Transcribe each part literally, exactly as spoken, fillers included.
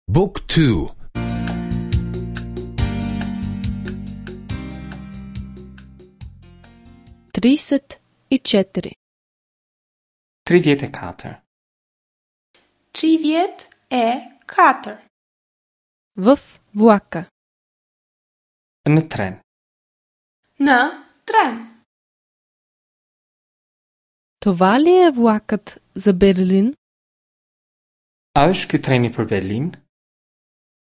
Book two. Тридесет и четири. Tridhjetë e katër. Tridhjetë e katër. В влака. Në tren. Në tren. Това ли е влакът за Берлин? A është ky treni për Berlin?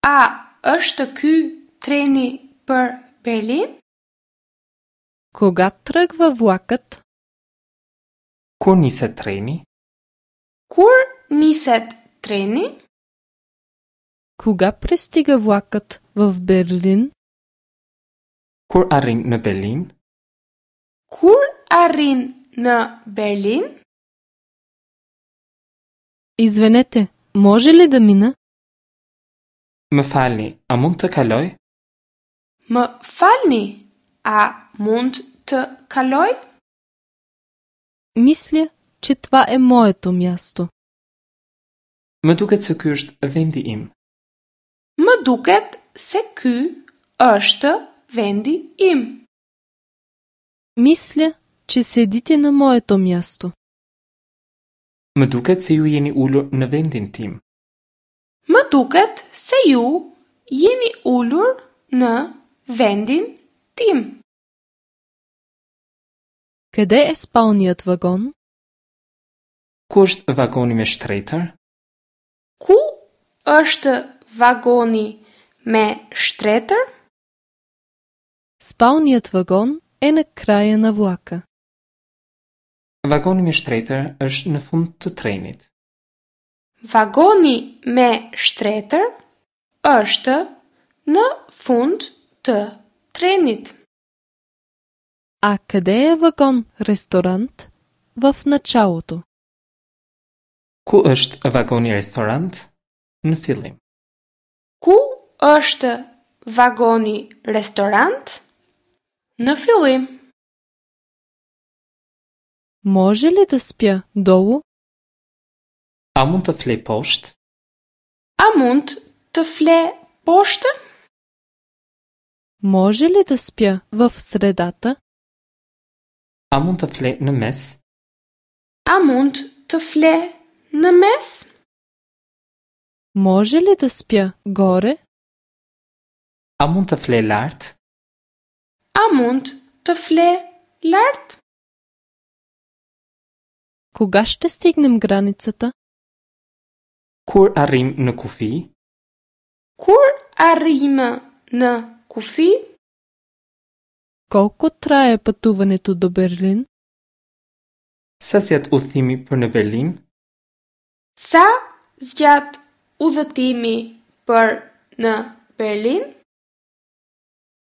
A është ky treni për Berlin? Кога тръгва влакът? Kur niset treni? Kur niset treni? Кога пристига влакът в Берлин? Kur arrin në Berlin? Kur arrin në Berlin? Извинете, може ли да мина? Më falni, a mund të kaloj? Më falni, a mund të kaloj? Мисля, че това е моето място. Më duket se ky është vendi im. Më duket se ky është vendi im. Мисля, че седите на моето място. Më duket se ju jeni ulur në vendin tim. Më duket se ju jeni ulur në vendin tim. Къде е спалният вагон? Ku është vagoni me shtretër? Ku është vagoni me shtretër? Спалният вагон е на края на влака. Vagoni me shtretër është në fund të trenit. Vagoni me shtretër është në fund të trenit. А къде е вагон ресторант? В началото. Ku është vagoni restorant? Në fillim. Ku është vagoni restorant? Në fillim. Може ли да спя долу? A mund të flej poshtë? A mund të fle poshtë? Може ли да спя в средата? A mund të fle në mes? A mund të fle në mes? Може ли да спя горе? A mund të fle lart? A mund të fle lart? Кога ще стигнем границата? Kur arrim në kufi? Kur arrijmë në kufi? Колко трае пътуването до Берлин? Sa zgjat udhëtimi për në Berlin? Sa zgjat udhëtimi për në Berlin?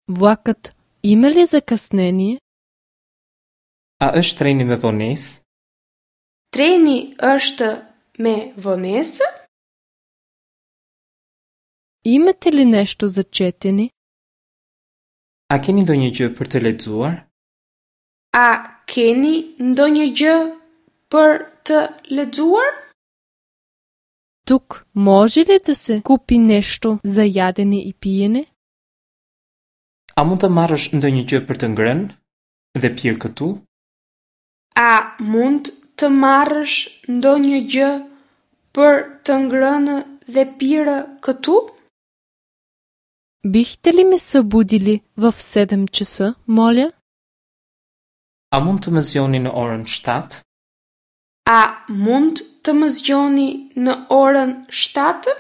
Влакът има ли закъснение? A është treni me vonesë? Treni është me vonesë? Имате ли нещо за четене? A keni ndonjë gjë për të lexuar? A keni ndonjë gjë për të lexuar? Тук може ли да се купи нещо за ядене и пиене? A mund të marrësh ndonjë gjë për të ngrënë dhe pirë këtu? A mund të marrësh ndonjë gjë për të ngrënë dhe pirë këtu? Бихте ли ме събудили в седем часа, моля? A mund të më zgjoni në orën shtatë? A mund të më zgjoni në orën shtatë?